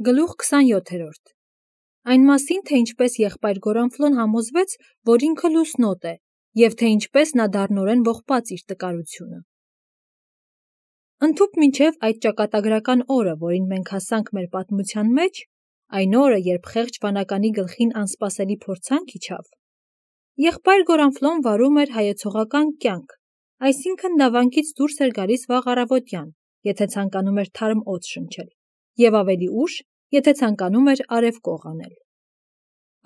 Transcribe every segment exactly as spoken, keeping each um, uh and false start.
Գլուխ քսանյոթերորդ Այն մասին, թե ինչպես եղբայր Գորանֆլոն համոզվեց, որ ինքը լուսնոտ է, և թե ինչպես նա դառնորեն ողբաց իր տկարությունը։ Ընդհուպ մինչև այդ ճակատագրական օրը, որին մենք հասանք մեր պատմության մեջ, այն օրը, երբ խեղճ վանականի գլխին անսպասելի փորձանք իջավ, եղբայր Գորանֆլոն վարում էր հայեցողական կյանք, այսինքն նա վանքից դուրս էր գալիս վաղ առավոտյան, եթե ցանկանում էր թարմ օձ շնչել, և ավելի ուշ, եթե ցանկանում էր արևկող անել։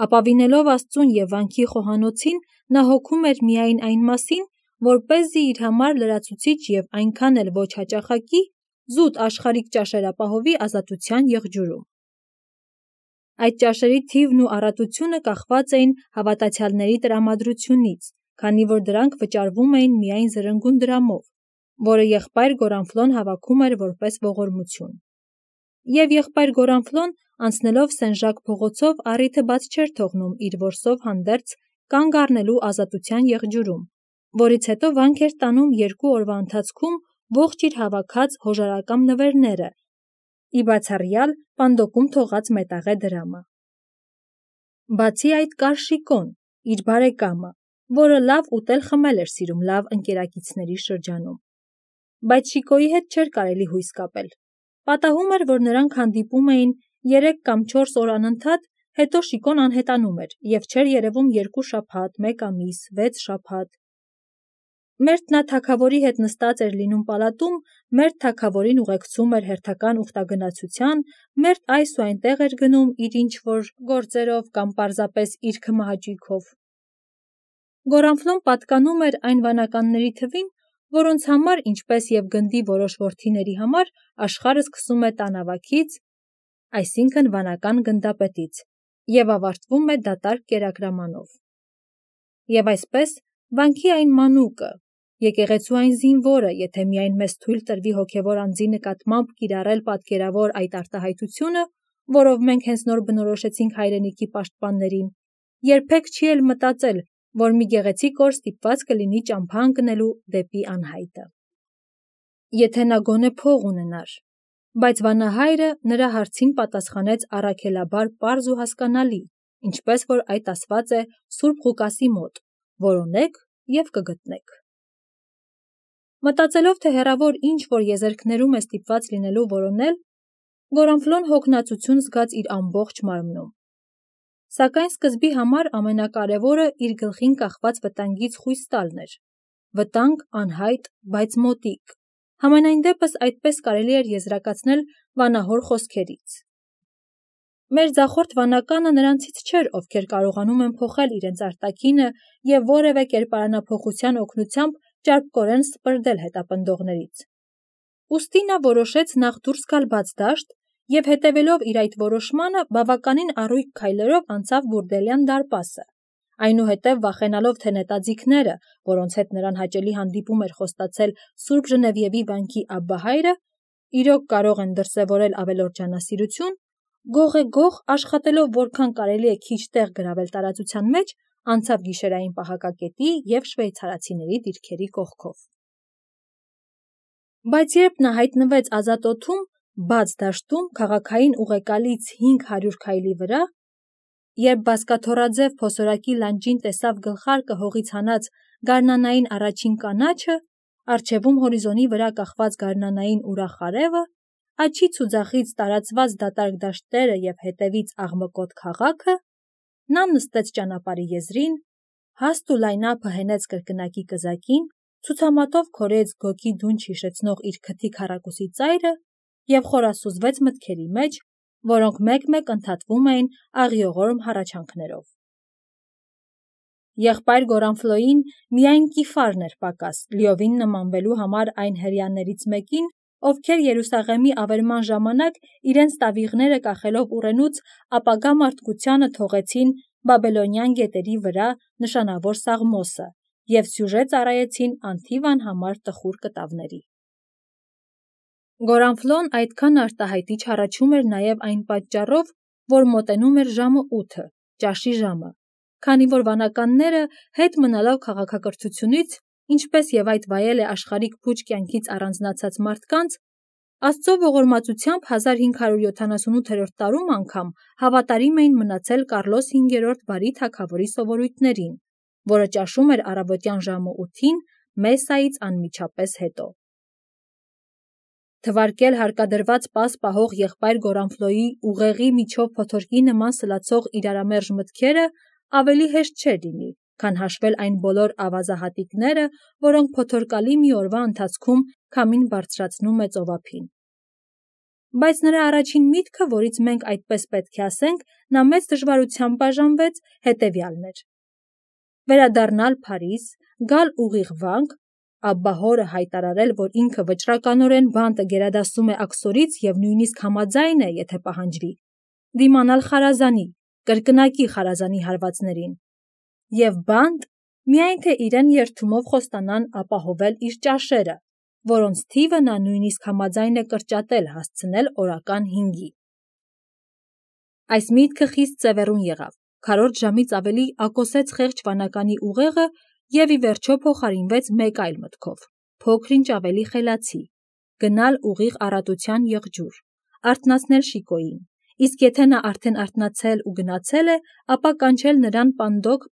Ապավինելով Աստծուն և վանքի խոհանոցին, նա հոգում էր միայն այն մասին, որպեսզի իր համար լրացուցիչ և այնքան էլ ոչ հաճախակի, զուտ աշխարհիկ ճաշեր ապահովի ազատության եղջյուրում։ Այդ ճաշերի թիվն ու առատությունը կախված էին հավատացյալների տրամադրությունից, քանի որ դրանք վճարվում էին միայն զրնգուն դրամով, որը եղբայր Գորանֆլոն հավաքում էր որպես ողորմություն։ Եվ եղբայր Գորանֆլոն, անցնելով Սեն-Ժակ փողոցով, առիթը բաց չէր թողնում իր որսով հանդերձ կանգ առնելու ազատության եղջյուրում, որից հետո վանք էր տանում երկու օրվա ընթացքում ողջ իր հավաքած հոժարակամ նվերները, ի բացառյալ պանդոկում թողած մետաղե դրամը։ Բացի այդ կար Շիկոն, իր բարեկամը, որը լավ ուտել-խմել էր սիրում լավ ընկերակիցների շրջանում։ Բայց Շիկոյի հետ չէր կարելի հույս կապել։ Պատահում էր, որ նրանք հանդիպում էին երեք կամ չորս օր անընդհատ, հետո Շիկոն անհետանում էր և չէր երևում երկու շաբաթ, մեկ ամիս, վեց շաբաթ։ Մերթ նա թագավորի հետ նստած էր լինում պալատում, մերթ թագավորին ուղեկցում էր հերթական ուխտագնացության, մերթ այս ու այնտեղ էր գնում իր ինչ-որ գործերով կամ պարզապես իր քմահաճույքով։ Գորանֆլոն պատկանում էր այն վանականների թվին, որոնց համար, ինչպես և գնդի որոշ որդիների համար, աշխարհը սկսում է տանավակից, այսինքն վանական գնդապետից, և ավարտվում է դատարկ կերակրամանով։ Եվ այսպես, վանքի այն մանուկը, եկեղեցու այն զինվորը, եթե միայն մեզ թույլ տրվի հոգևոր անձի նկատմամբ կիրառել պատկերավոր այդ արտահայտությունը, որով մենք հենց նոր բնորոշեցինք հայրենիքի պաշտպաններին, երբեք չի էլ մտածել, որ մի գեղեցիկ օր ստիպված կլինի ճամփա ընկնելու դեպի անհայտը։ Եթե նա գոնե փող ունենար։ Բայց վանահայրը նրա հարցին պատասխանեց առաքելաբար պարզ ու հասկանալի, ինչպես որ այդ ասված է Սուրբ Ղուկասի մոտ. որոնեք և կգտնեք։ Մտածելով, թե հեռավոր ինչ-որ եզերքներում է ստիպված լինելու որոնել, Գորանֆլոն հոգնածություն զգաց իր ամբողջ մարմնում։ Սակայն սկզբի համար ամենակարևորը իր գլխին կախված վտանգից խույս տալն էր։ Վտանգ անհայտ, բայց մոտիկ։ Համենայն դեպս այդպես կարելի էր եզրակացնել վանահոր խոսքերից։ Մեր ձախորդ վանականը նրանցից չէր, ովքեր կարողանում են փոխել իրենց արտաքինը և որևէ կերպարանափոխության օգնությամբ ճարպկորեն սպրդել հետապնդողներից։ Ուստի նա որոշեց նախ դուրս գալ բաց դաշտ և հետևելով իր այդ որոշմանը բավականին առույգ քայլերով անցավ Բուրդելյան դարպասը, այնուհետև վախենալով, թե նետաձիգները, որոնց հետ նրան հաճելի հանդիպում էր խոստացել Սուրբ Ժնևիևի վանքի Աբբահայրը, իրոք կարող են դրսևորել ավելորդ ջանասիրություն, գող-է-գող աշխատելով որքան կարելի է քիչ տեղ գրավել տարածության մեջ, անցավ գիշերային պահակակետի և շվեյցարացիների դիրքերի կողքով։ Բայց երբ նա հայտնվեց ազատ օդում, բաց դաշտում, քաղաքային ուղեկալից հինգ հարյուր քայլի վրա, երբ բազկաթոռաձև փոսորակի լանջին տեսավ գլխարկը հողից հանած գարնանային առաջին կանաչը, առջևում հորիզոնի վրա կախված գարնանային ուրախ արևը, աջից ու ձախից տարածված դատարկ դաշտերը և հետևից աղմկոտ քաղաքը, նա նստեց ճանապարհի եզրին, հաստ ու լայնափը հենեց կրկնակի կզակին, ցուցամատով քորեց գոգի դունչ հիշեցնող իր քթի քառակուսի ծայրը և խորասուզվեց մտքերի մեջ, որոնք մեկ-մեկ ընդհատվում էին աղիողորմ հառաչանքներով։ Եղբայր Գորանֆլոյին միայն կիֆարն էր պակաս, լիովին նմանվելու համար այն հրեաներից մեկին, ովքեր Երուսաղեմի ավերման ժամանակ իրենց տավիղները կախելով ուռենուց ապագա մարդկությանը թողեցին բաբելոնյան գետերի վրա նշանավոր Սաղմոսը և սյուժե ծառայեցին անթիվ անհամար տխուր կտավների։ Գորանֆլոն այդքան արտահայտիչ հառաչում էր նաև այն պատճառով, որ մոտենում էր ժամը ութը, ճաշի ժամը, քանի որ վանականները, հետ մնալով քաղաքակրթությունից, ինչպես և այդ վայել է աշխարհիկ փուչ կյանքից առանձնացած մարդկանց, Աստծո ողորմածությամբ հազար հինգ հարյուր յոթանասունութերորդ տարում անգամ հավատարիմ էին մնացել Կարլոս հինգերորդ բարի թագավորի սովորույթներին, որը ճաշում էր առավոտյան ժամը ութին մեսսայից անմիջապես հետո։ Թվարկել հարկադրված պաս պահող եղբայր Գորանֆլոյի ուղեղի միջով փոթորկի նման սլացող իրարամերժ մտքերը ավելի հեշտ չէր լինի, քան հաշվել այն բոլոր ավազահատիկները, որոնք փոթորկալի մի օրվա ընթացքում քամին բարձրացնում է ծովափին։ Բայց նրա առաջին միտքը, որից մենք այդպես պետք է ասենք, նա մեծ դժվարությամբ բաժանվեց, հետևյալն էր. վերադառնալ Փարիզ, գալ ուղիղ վանք, Աբբա հորը հայտարարել, որ ինքը վճռականորեն բանտը գերադասում է աքսորից և նույնիսկ համաձայն է, եթե պահանջվի, դիմանալ խարազանի, կրկնակի խարազանի հարվածներին, և բանտ, միայն թե իրեն երդումով խոստանան ապահովել իր ճաշերը, որոնց թիվը նա նույնիսկ համաձայն է կրճատել հասցնել օրական հինգի։ Այս միտքը խիստ ծևեռուն եղավ, քառորդ ժամից ավելի ակոսեց խեղճ վանականի ուղեղը և ի վերջո փոխարինվեց մեկ այլ մտքով, փոքր-ինչ ավելի խելացի, գնալ ուղիղ առատության եղջյուր, արթնացնել Շիկոյին, իսկ եթե նա արդեն արթնացել ու գնացել է, ապա կանչել նրան պանդոկ,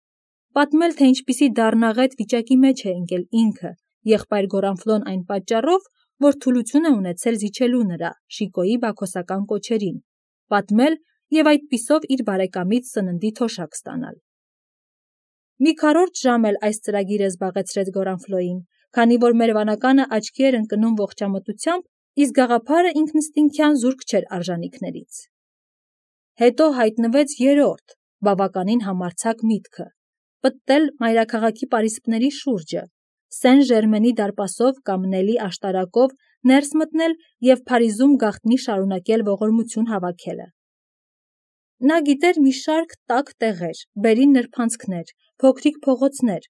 պատմել, թե ինչպիսի դառնաղետ վիճակի մեջ է ընկել ինքը, եղբայր Գորանֆլոն այն պատճառով, որ թուլություն է ունեցել զիջելու նրա, Շիկոյի բաքոսական կոչերին, պատմել և այդպիսով իր բարեկամից սննդի թոշակ ստանալ։ Մի քառորդ ժամ էլ այս ծրագիրը զբաղեցրեց Գորանֆլոյին, քանի որ մեր վանականը աչքի էր ընկնում ողջամտությամբ, իսկ գաղափարը ինքնըստինքյան զուրկ չէր արժանիքներից։ Հետո հայտնվեց երրորդ, բավականին համարձակ միտքը՝ պտտել մայրաքաղաքի պարիսպների շուրջը, Սեն Ժերմենի դարպասով կամ Նելի աշտարակով ներս մտնել և Փարիզում գաղտնի շարունակել ողորմություն հավաքելը։ Նա գիտեր մի շարք տաք տեղեր, բերին նրբանցքներ, փոքրիկ փողոցներ,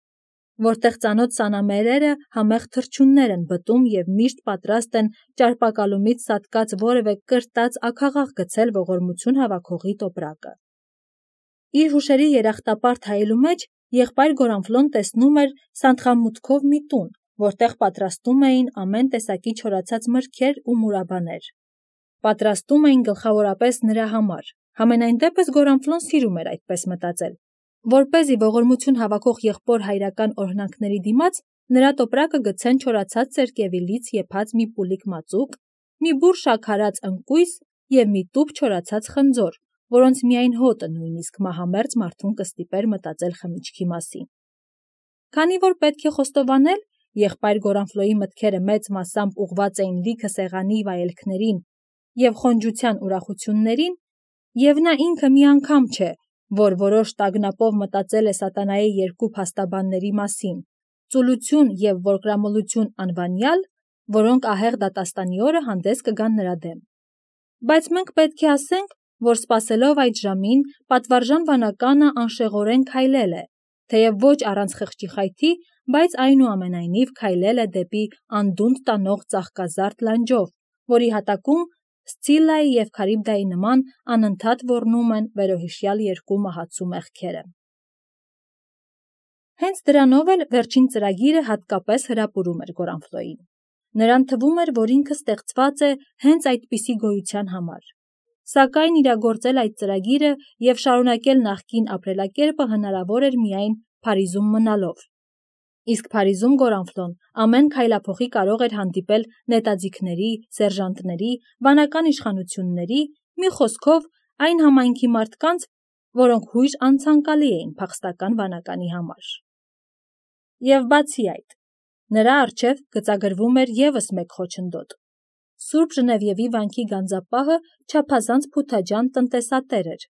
որտեղ ծանոթ սանամերերը համեղ թռչուններ են բտում և միշտ պատրաստ են ճարպակալումից սատկած որևէ կրտած աքաղաղ գցել ողորմություն հավաքողի տոպրակը։ Իր հուշերի երախտապարտ հայելու մեջ եղբայր Գորանֆլոն տեսնում էր սանդղամուտքով մի տուն, որտեղ պատրաստում էին ամեն տեսակի չորացած մրգեր ու մուրաբաներ։ Պատրաստում էին գլխավորապես նրա համար, համենայն դեպս Գորանֆլոն սիրում էր այդպես մտածել, որպեսզի ողորմություն հավաքող եղբոր հայրական օրհնանքների դիմաց նրա տոպրակը գցեն չորացած սերկևիլից եփած մի պուլիկ մածուկ, մի բուռ շաքարած ընկույզ և մի տուփ չորացած խնձոր, որոնց միայն հոտը նույնիսկ մահամերձ մարդուն կստիպեր մտածել խմիչքի մասին։ Քանի որ պետք է խոստովանել, եղբայր Գորանֆլոյի մտքերը մեծ մասամբ ուղղված էին լիքը սեղանի վայելքներին և խոնջության ուրախություններին, և նա ինքը մի անգամ չէ, որ որոշ տագնապով մտածել է սատանայի երկու փաստաբանների մասին՝ ծուլություն և որկրամոլություն անվանյալ, որոնք ահեղ դատաստանի օրը հանդես կգան նրա դեմ։ Բայց մենք պետք է ասենք, որ սպասելով այդ ժամին, պատվարժան վանականը անշեղորեն քայլել է, թեև ոչ առանց խղճի խայթի, բայց այնուամենայնիվ քայլել է դեպի անդունդ տանող ծաղկազարդ լանջով, որի հատակում Սցիլլայի և Քարիբդայի նման անընդհատ ոռնում են վերոհիշյալ երկու մահացու մեղքերը։ Հենց դրանով էլ վերջին ծրագիրը հատկապես հրապուրում էր Գորանֆլոյին։ Նրան թվում էր, որ ինքը ստեղծված է հենց այդպիսի գոյության համար։ Սակայն իրագործել այդ ծրագիրը և շարունակել նախկին ապրելակերպը հնարավոր էր միայն Փարիզում մնալով։ Իսկ Փարիզում Գորանֆլոն ամեն քայլափոխի կարող էր հանդիպել նետաձիգների, սերժանտների, վանական իշխանությունների, մի խոսքով այն համայնքի մարդկանց, որոնք հույժ անցանկալի էին փախստական վանականի համար։ Եվ բացի այդ, նրա առջև գծագրվում էր ևս մեկ խոչընդոտ. Սուրբ Ժնևիևի վանքի գանձապահը չափազանց փութաջան տնտեսատեր էր,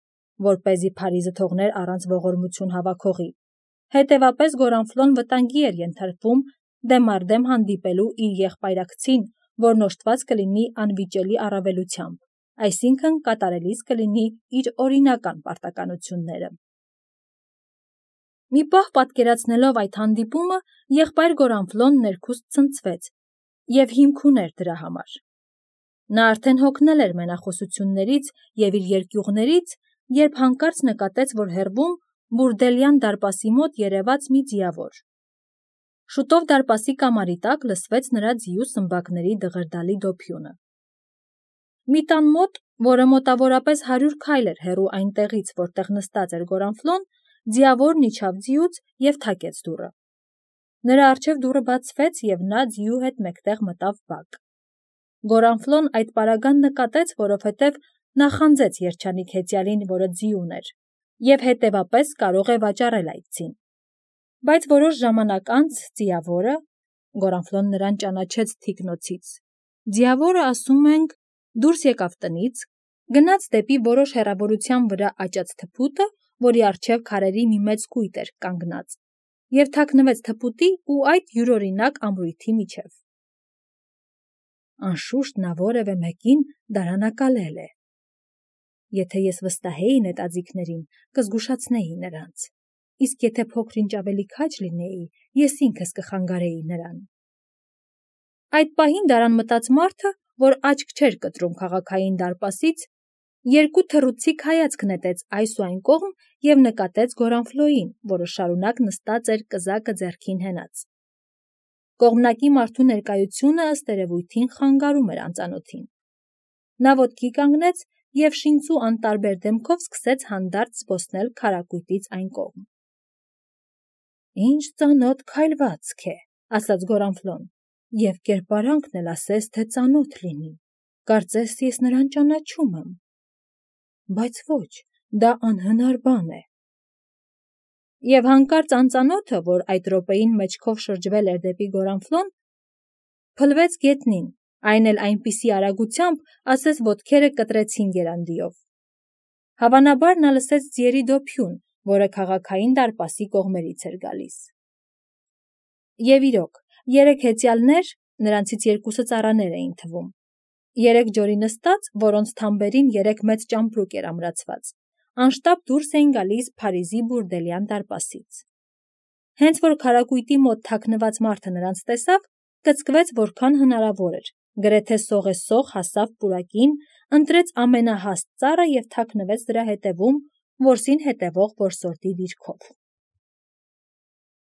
որպեսզի Փարիզը թողներ առանց ողորմություն հավաքողի։ Հետևապես Գորանֆլոն վտանգի էր ենթարկվում դեմառդեմ հանդիպելու իր եղբայրակցին, որն օժտված կլինի անվիճելի առավելությամբ, այսինքն կատարելիս կլինի իր օրինական պարտականությունները։ Մի պահ պատկերացնելով այդ հանդիպումը, եղբայր Գորանֆլոն ներքուստ ցնցվեց և հիմք ուներ դրա համար։ Նա արդեն հոգնել էր մենախոսություններից և իր երկյուղներից, երբ հանկարծ նկատեց, որ հեռվում Բուրդելյան դարպասի մոտ երևաց մի ձիավոր։ Շուտով դարպասի կամարի տակ լսվեց նրա ձիու սմբակների դղրդալի դոփյունը։ Մի տան մոտ, որը մոտավորապես հարյուր քայլ էր հեռու այն տեղից, որտեղ նստած էր Գորանֆլոն, ձիավորն իջավ ձիուց և թակեց դուռը։ Նրա առջև դուռը բացվեց, և նա ձիու հետ մեկտեղ մտավ բակ։ Գորանֆլոն այդ պարագան նկատեց, որովհետև նա խանձեց երջանիկ հեծյալին, որը ձի ուներ, և հետևապես կարող է վաճառել այդ ձին։ Բայց որոշ ժամանակ անց ձիավորը, Գորանֆլոն նրան ճանաչեց թիկնոցից, ձիավորը, ասում ենք, դուրս եկավ տնից, գնաց դեպի որոշ հեռավորության վրա աճած թփուտը, որի առջև քարերի մի մեծ կույտ էր կանգնած, և թաքնվեց թփուտի ու այդ յուրօրինակ ամրույթի միջև։ Անշուշտ նա որևէ մեկին դարանակալել է։ Եթե ես վստահեի նետաձիգներին, կզգուշացնեի նրանց, իսկ եթե փոքր-ինչ ավելի քաջ լինեի, ես ինքս կխանգարեի նրան։ Այդ պահին դարան մտած մարդը, որ աչք չէր կտրում քաղաքային դարպասից, երկու թռուցիկ հայացք նետեց այս ու այն կողմ և նկատեց Գորանֆլոյին, որը շարունակ նստած էր կզակը ձեռքին հենած։ Կողմնակի մարդու ներկայությունը ըստ երևույթին խանգարում էր անծանոթին։ Նա ոտքի կանգնեց և շինծու անտարբեր դեմքով սկսեց հանդարտ զբոսնել քարակույտից այն կողմ։ «Ինչ ծանոթ քայլվածք է», ասաց Գորանֆլոն, «և կերպարանքն էլ ասես թե ծանոթ լինի, կարծես ես նրան ճանաչում եմ, բայց ոչ, դա անհնար բան է»։ Եվ հանկարծ անծանոթը, որ այդ րոպեին մեջքով շրջվել էր դեպի Գորանֆլոն, փլվեց գետնին, այն էլ այնպիսի արագությամբ, ասես ոտքերը կտրեցին եռանդիով։ Հավանաբար նա լսեց ձիերի դոփյուն, որը քաղաքային դարպասի կողմերից էր գալիս։ Եվ իրոք, երեք հեծյալներ, նրանցից երկուսը ծառաներ էին թվում, երեք ջորի նստած, որոնց թամբերին երեք մեծ ճամպրուկ էր ամրացված, անշտապ դուրս էին գալիս Փարիզի բուրդելյան դարպասից։ Հենց որ քարակույտի մոտ թաքնված մարդը նրանց տեսավ, կծկվեց որքան հնարավոր էր, գրեթե սողեսող հասավ պուրակին, ընտրեց ամենահաստ ծառը և թաքնվեց դրա հետևում, որսին հետևող որսորդի դիրքով։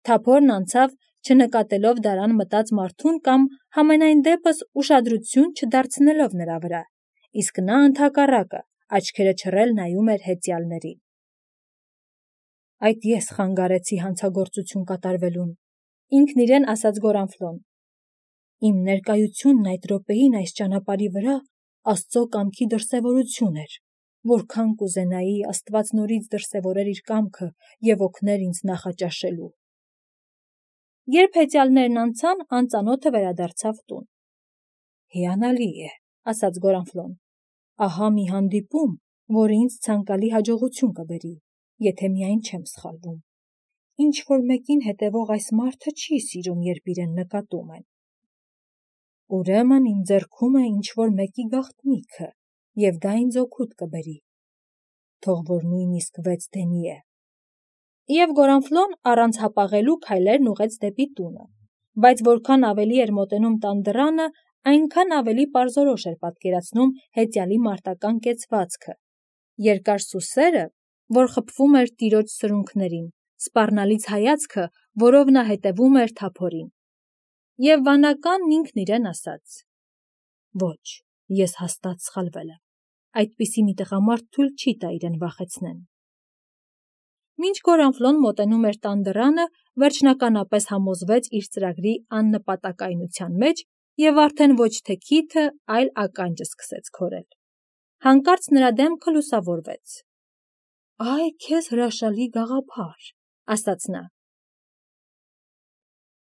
Թափորն անցավ, չնկատելով դարան մտած մարդուն կամ համենայն դեպս ուշադրություն չդարձնելով նրա վրա, իսկ նա ընդհակառակը, աչքերը չռել նայում էր հեծյալներին։ «Այդ ես խանգարեցի հանցագործություն կատարվելուն», ինքն իրեն ասաց Գորանֆլոն։ «Իմ ներկայությունն այդ րոպեին այս ճանապարհի վրա Աստծո կամքի դրսևորություն էր, որքան կուզենայի Աստված նորից դրսևորեր իր կամքը և օգներ ինձ նախաճաշելու»։ Երբ հեծյալներն անցան, անծանոթը վերադարձավ տուն։ «Հիանալի է», ասաց Գորանֆլոն, «ահա մի հանդիպում, որը ինձ ցանկալի հաջողություն կբերի, եթե միայն չեմ սխալվում։ Ինչ-որ մեկին հետևող այս մարդը չի սիրում, երբ իրեն նկատում են։ Ուրեմն իմ ձեռքում է ինչ-որ մեկի գաղտնիքը, և դա ինձ օգուտ կբերի, թող որ նույնիսկ վեց դենի է»։ Եվ Գորանֆլոն առանց հապաղելու քայլերն ուղղեց դեպի տունը, բայց որքան ավելի էր մոտենում տան դռանը, այնքան ավելի պարզորոշ էր պատկերացնում հեծյալի մարտական կեցվածքը, երկար սուսերը, որ խփվում էր տիրոջ սրունքներին, սպառնալից հայացքը, որով նա հետևում էր թափորին։ Եվ վանականն ինքն իրեն ասաց. «Ոչ, ես հաստատ սխալվել եմ, այդպիսի մի տղամարդ թույլ չի տա իրեն վախեցնեն»։ Մինչ Գորանֆլոն մոտենում էր տան դռանը, վերջնականապես համոզվեց իր ծրագրի աննպատակայնության մեջ և արդեն ոչ թե քիթը, այլ ականջը սկսեց քորել։ Հանկարծ նրա դեմքը լուսավորվեց։ «Այ քեզ հրաշալի գաղափար», ասաց նա,